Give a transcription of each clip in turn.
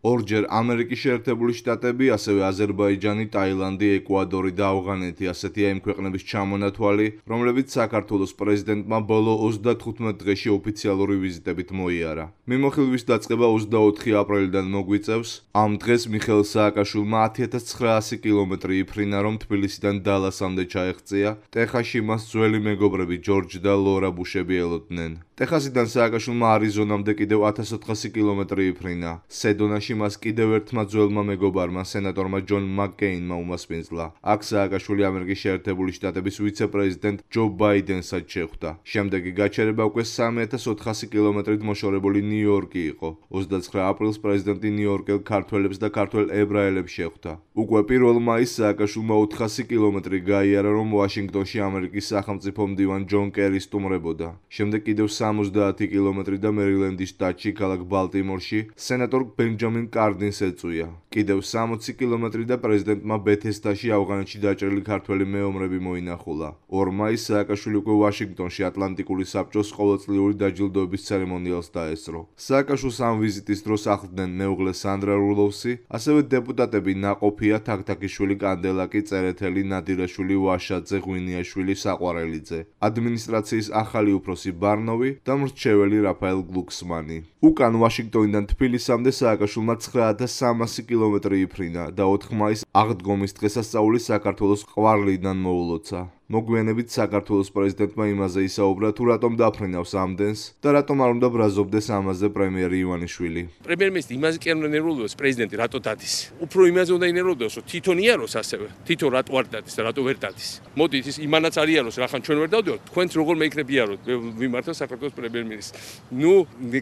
ორჯერ ამერიკის შეერთებული შტატები, ასევე აზერბაიჯანი, ტაილანდი, ეკვადორი და ავღანეთი ასეთია იმ ქვეყნების ჩამონათვალი, რომლებიც საქართველოს პრეზიდენტმა ბოლო 35 დღეში ოფიციალური ვიზიტებით მოიარა. მიმოხილვის დაწყება 24 აპრილიდან მოგვიწევს. ამ დღეს მიხეილ სააკაშვილმა 10900 კილომეტრი იფრინა, რომ თბილისიდან დალასამდე ჩაეღწია. ტეხასში მას ძველი მეგობრები ჯორჯ და ლორა ბუშები ელოდნენ. ტეხასიდან სააკაშვილმა არიზონამდე კიდევ 1400 კილომეტრი იფრინა. სედონაში მას კიდევ ერთმა ძველმა მეგობარმა, სენატორმა ჯონ მაკკეინმა უმასპინძლა. აქ სააკაშვილი ამერიკის შეერთებული შტატების ვიცე-პრეზიდენტ ჯო ბაიდენსაც შეხვდა. შემდეგი გაჩერება უკვე 3400 კილომეტრით მოშორებული ნიუ-იორკი იყო. 29 აპრილს პრეზიდენტი ნიუ-იორკელ ქართველებს და ქართველ ებრაელებს შეხვდა. უკვე 1 მაისს სააკაშვილმა 400 კილომეტრი გაიარა, რომ ვაშინგტონში ამერიკის სახელმწიფო მდივან ჯონ კერი სტუმრებოდა. შემდეგ კიდევ 70 კილომეტრი და მერილენდის შტატში, ქალაქ ბალტიმორში, სენატორ ბენჯამინ კარდინს ეწვია. კიდევ 60 კილომეტრი და პრეზიდენტმა ბეთესდაში, ავღანეთში დაჭრილი ქართველი მეომრები მოინახულა. 2 მაისს სააკაშვილი უკვე ვაშინგტონში ატლანტიკური საბჭოს ყოველწლიური დაჯილდოების ცერემონიალს დაესწრო. სააკაშვილს ამ ვიზიტის დროს ახლდნენ მეუღლე სანდრა რულოვსი, ასევე დეპუტატები ნაყოფია, თაქთაქიშვილი, კანდელაკი, წერეთელი, ნადირაშვილი, ვაშაძე, ღვინიაშვილი, საყვარელიძე, ადმინისტრაციის ახალი უფროსი ბარნოვი და მრჩეველი რაფაელ გლუქსმანი. უკან ვაშინგტონიდან თბილისამდე სააკაშვილმა 9300 კილომეტრი იფრინა და 4 მაისს აღდგომის დღესასწაული საქართველოს ყვარლიდან მოულოცა. მოგვიანებით საქართველოს პრეზიდენტმა იმაზე ისაუბრა, თუ რატომ დაფრინავს ამდენს და რატომ არ უნდა ბრაზობდეს ამაზე პრემიერი ივანიშვილი. პრემიერ-მინისტრი იმაზე კი არ უნდა ნერვულობს, პრეზიდენტი რატო დადის. უფრო იმაზე უნდა ინერვულოს, რომ თვითონ იაროს ასევე. თვითონ რატო არ დადის და რატო ვერ დადის. მოდით ის იმანაც არ იაროს, რახან ჩვენ ვერ დავდივართ, თქვენც როგორ მეიქნებ იაროთ, მე ვიმართო საქართველოს პრემიერ-მინისტრს. ნუ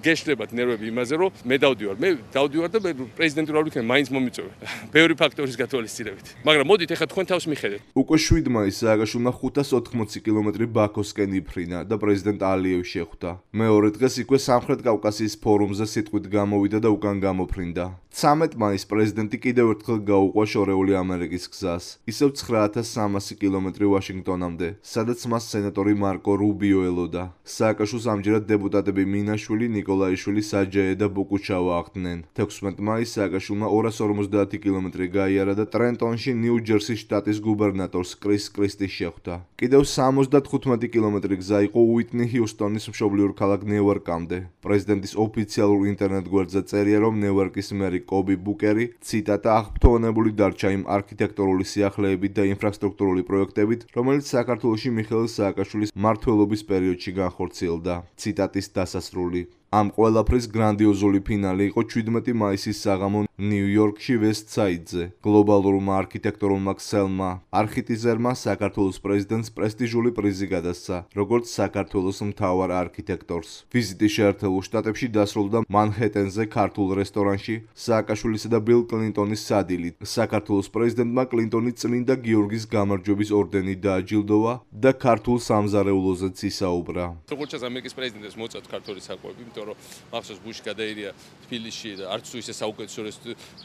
გეშლებათ ნერვები იმაზე, რომ მე დავდივარ. მე დავდივარ და მე პრეზიდენტი რა ვიქნებ, მაინც მომიწევი. ბევრი ფაქტორის გათვალისწინებით. მაგრამ მოდით ეხლა თქვენ თავს მიხედეთ. უკვე 7 მაისს სააკაშვილმა 580 კილომეტრი ბაქოსკენ იფრინა და პრეზიდენტ ალიევს შეხვდა. მეორე დღეს იქვე სამხრეთ კავკასიის ფორუმზე სიტყვით გამოვიდა და უკან გამოფრინდა. 13 მაისს პრეზიდენტი კიდევ ერთხელ გაუყვა შორეული ამერიკის გზას. ისევ 9300 კილომეტრი ვაშინგტონამდე, სადაც მას სენატორი მარკო რუბიო ელოდა. სააკაშვილს ამჯერად დეპუტატები მინაშვილი, ნიკოლაიშვილი, საჯაე და ბუკუჩავა ახლდნენ. 16 მაისს სააკაშვილმა 250 კილომეტრი გაიარა და ტრენტონში, ნიუ-ჯერსის შტატის გუბერნატორს კრის კრისტის შეხვდა. კიდევ 75 კილომეტრი გზა იყო უიტნი ჰიუსტონის მშობლიურ ქალაქ ნიუ-იორკამდე. პრეზიდენტის ოფიციალურ ინტერნეტ გვერდზე წერია, რომ ნიუ-იორკის მერი კობი ბუკერი, ციტატა, აღფრთოვანებული დარჩა იმ არქიტექტურული სიახლეებით და ინფრასტრუქტურული პროექტებით, რომელიც საქართველოში მიხეილ სააკაშვილის მმართველობის პერიოდში განხორციელდა. ციტატის დასასრული. ამ ყველაფრის გრანდიოზული ფინალი იყო 17 მაისის საღამო ნიუ-იორკში ვესტსაიდზე. გლობალურმა არქიტექტურულმა ქსელმა არქიტიზერმა საქართველოს პრეზიდენტს პრესტიჟული პრიზი გადასცა, როგორც საქართველოს მთავარ არქიტექტორს. ვიზიტი შეერთებულ შტატებში დასრულდა მანჰეტენზე ქართულ რესტორანში სააკაშვილისა და ბილ კლინტონის სადილით. საქართველოს პრეზიდენტმა კლინტონი წმინდა გიორგის გამარჯვების ორდენით დააჯილდოვა და ქართულ სამზარეულოზეც ისაუბრა. როგორც ამერიკის პრეზიდენტს მოწევთ ქართული საკვები, რომ მახსოვს ბუში გადაირია თბილისში და არც თუ ისე საუკეთესო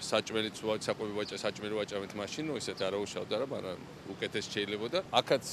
საჭმელიც საკვები ვაჭა საჭმელი ვაჭამეთ მაშინ, რომ ისეთ არა უშავდა რა, მაგრამ უკეთეს შეიძლებოდა. აქაც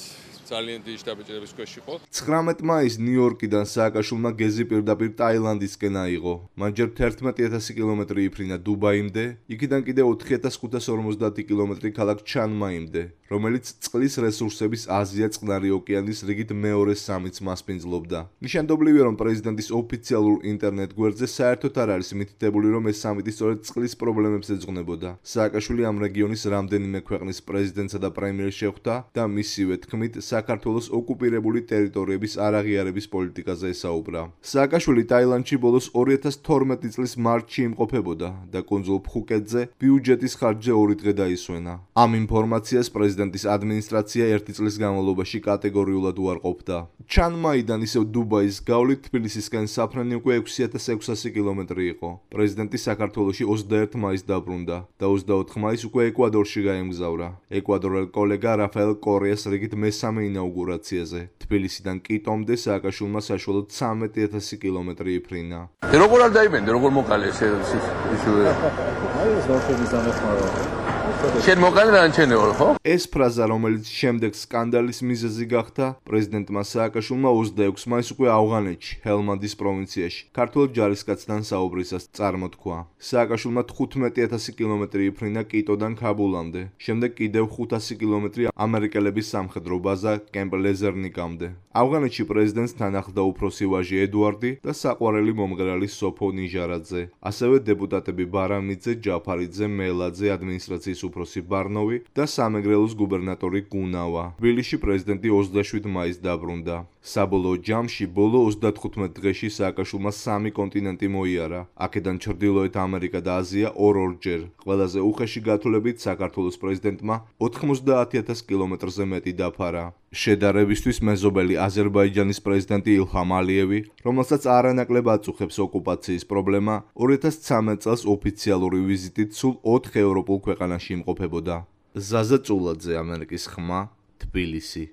ძალიან დიდი შტაბეჭერების ქვეშ იყო. 19 მაისს ნიუ-იორკიდან სააკაშვილმა გეზი პირდაპირ ტაილანდისკენ აიღო. მან ჯერ 11000 კილომეტრი იფრინა დუბაიმდე, იქიდან კიდევ 4550 კილომეტრი ქალაქ ჩანმაიმდე, რომელიც წყლის რესურსების აზია წყნარი ოკეანის რიგით მეორე სამიც მასპინძლობდა. ნიშანდობლივია, რომ პრეზიდენტის ოფიციალურ ინტერნეტ გვერდზე საერთოდ არ არის მითითებული, რომ ეს სამიტი სწორედ წყლის პრობლემებს ეძღვნებოდა. სააკაშვილი ამ რეგიონის რამდენიმე ქვეყნის პრეზიდენტსა და პრემიერს შეხვდა და მისივე თქმით საქართველოს ოკუპირებული ტერიტორიების არაღიარების პოლიტიკაზე ესაუბრა. სააკაშვილი ტაილანდში ბოლოს 2012 წლის მარტში იმყოფებოდა და კუნძულ ფხუკეტზე ბიუჯეტის ხარჯზე 2 დღე დაისვენა. ამ ინფორმაციას პრეზიდენტის ადმინისტრაცია 1 წლის განმავლობაში კატეგორიულად უარყოფდა. ჩანმაიდან ისევ დუბაის გავლით თბილისისკენ საფრენი უკვე 6600 კილომეტრი იყო. პრეზიდენტი საქართველოში 21 მაისს დაბრუნდა და 24 მაისს უკვე ეკვადორში გაემგზავრა. ეკვადორელ კოლეგა რაფაელ კორეას რიგით მესამე ინაუგურაციაზე. თბილისიდან კიტომდე სააკაშვილმა საშუალოდ 13000 კილომეტრი იფრინა. როგორ არ დაიბენდე, როგორ მოკალე ეს აი ეს ვაფშე მიზანახმარა. შენ მოყალე რანჩენეო ხო? ეს ფრაზა, რომელიც შემდეგ სკანდალის მიზეზი გახდა, პრეზიდენტმა სააკაშვილმა 26 მაისს უკვე ავღანეთში, ჰელმანდის პროვინციაში, ქართველ ჯარისკაცთან საუბრისას წარმოთქვა. სააკაშვილმა 15,000 კილომეტრი იფრინა კიტოდან ქაბულამდე, შემდეგ კიდევ 500 კილომეტრი ამერიკელების სამხედრო ბაზა კემპ ლეზერნიკამდე. ავღანეთში პრეზიდენტს თან ახლდა უფროსი ვაჟი ედუარდი და საყვარელი მომღერალი სოფო ნიჟარაძე, ასევე დეპუტატები ბარამიძე, ჯაფარიძე, მელაძე, ადმინისტრაციის უფროსი ბარნოვი და სამეგრელოს გუბერნატორი გუნავა. თბილისში პრეზიდენტი 27 მაისს დაბრუნდა. საბოლოო ჯამში ბოლო 35 დღეში სააკაშვილმა 3 კონტინენტი მოიარა. აქედან ჩრდილოეთ ამერიკა და აზია ორ-ორჯერ. ყველაზე უხეში გათვლებით საქართველოს პრეზიდენტმა 90,000 კილომეტრზე მეტი დაფარა. შედარებისთვის მეზობელი აზერბაიჯანის პრეზიდენტი ილჰამ ალიევი, რომელსაც არანაკლებ აწუხებს ოკუპაციის პრობლემა, 2013 წელს ოფიციალური ვიზიტით სულ 4 ევროპულ ქვეყანაში იმყოფებოდა. ზაზა წულაძე, ამერიკის ხმა, თბილისი.